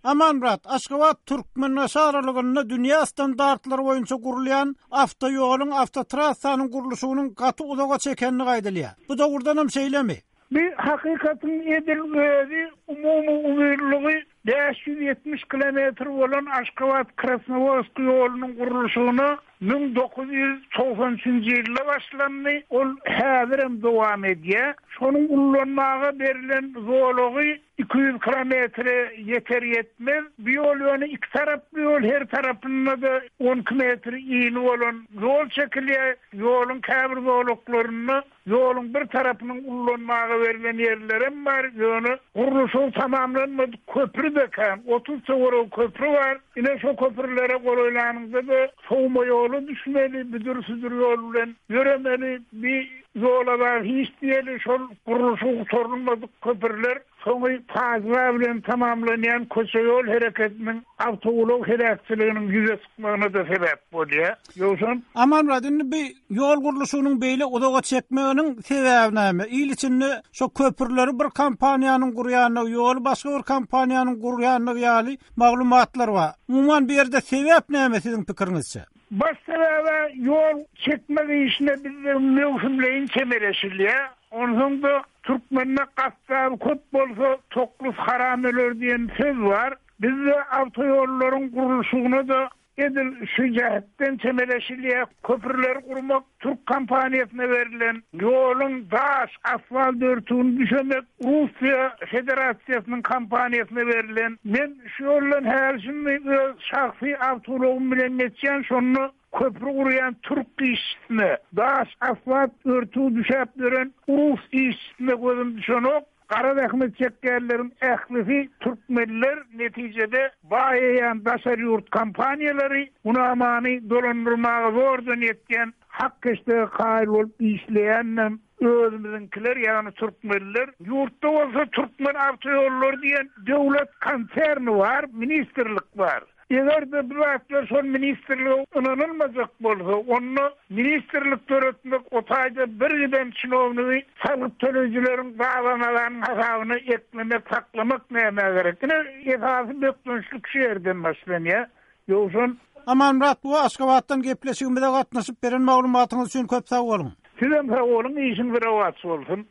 Amanmyrat, Aşgabat, Türkmenbaşy aralygynda dünýä standartlary boýunça gurulýan awtoýoluň, awtotrassanyň gurluşygynyň gaty uzaga çekendigi aýdylýar. Bu dogrudanam şeýlemi? Bu hakykatyň edil özi umumy uzynlygy 570 kilometr bolan Aşgabat-Krasnowodsk ýolunyň gurluşygyna 1993 nji ýylda başlandy, ol häzirem dowam edýär. Şonuň ullanmaga berlen zolagy 200 kilometre ýeter-ýetmez. Bu ýol ýöne iki taraply ýol, her tarapynda-da 12 metr ini bolan ýol çekilýär. Ýoluň käbir zolaklarynda Ýoluň bir tarapynyň ullanmaga berlen ýerlerem bar, ýöne gurluşygy tamamlanmadyk köpri-de kän, 30 töweregi köpri bar. Ine, şo köprülere golaýlanyňda-da sowma ýola düşmeli, büdür-südür ýol bilen ýöremeli. Bi ýola zat hiç diýeli, şol gurluşygy gutarylmadyk köprüler Soňy pajyga bilen tamamlanýan köçe-ýol hereketiniň awtoulag heläkçiliginiň ýüze çykmagyna-da sebäp bolýar. Ýowşan. Amanmyrat, indi bi ýol gurluşygynyň beýle uzaga çekmeginiň sebäbi näme? Il içinde şo köprüleri bir kompaniýanyň gurýandygy, ýoly başga bir kompaniýanyň gurýandygy ýaly maglumatlar bar. Umuman, bu ýerde sebäp näme siziň pikiriňizçe? Baş sebäb-ä ýol çekmek işine bizde möwsümleýin çemeleşilýär. Onsoň-da türkmende Gassap köp bolsa, toklus haram öler diýen söz bar. Bizde awtoýollaryň gurluşygyna-da edil şu jähetden çemeleşilýär. Köprüleri gurmak türk kompaniýasyna berlen, ýoluň daş, asfalt örtügini düşemek Russiýa Federasiýasynyň kompaniýasyna berlen. Men şu ýoldan häli-şindi öz şahsy awtoulagym bilen geçýän, şonda Köpri gurýan türk işçisine, daş, asfalt örtügi düşäp ýören rus işçisine gözüm düşenok. Gara zähmet çekýänleriň ählisi türkmenler, netijede baýaýan daşary ýurt kompaniýalary Hunamany dolandyrmaga zordan ýetýän hak-heşdege kaýyl bolup işleýänem özümiziňkiler, ýagny türkmenler. Ýurtda bolsa Türkmenawtoýollary diýen döwlet konserni bar, ministrlik bar. Eger-de bu zatlar şol ministrlige ynanylmajak bolsa, onda ministrlik döretmek, o taýda birgiden çinownigi salgyt töleýjileriň gabanalanyň hasabyna eklemek, saklamak nämä gerek? Ine, esasy bökdençlik şu ýerden başlanýar. Ýowşan. Amanmyrat buwa Aşgabatdan gepleşigimize gatnaşyp beren maglumatyňyz üçin köp sag boluň. Sizem sag boluň, işiňiz rowaç bolsun!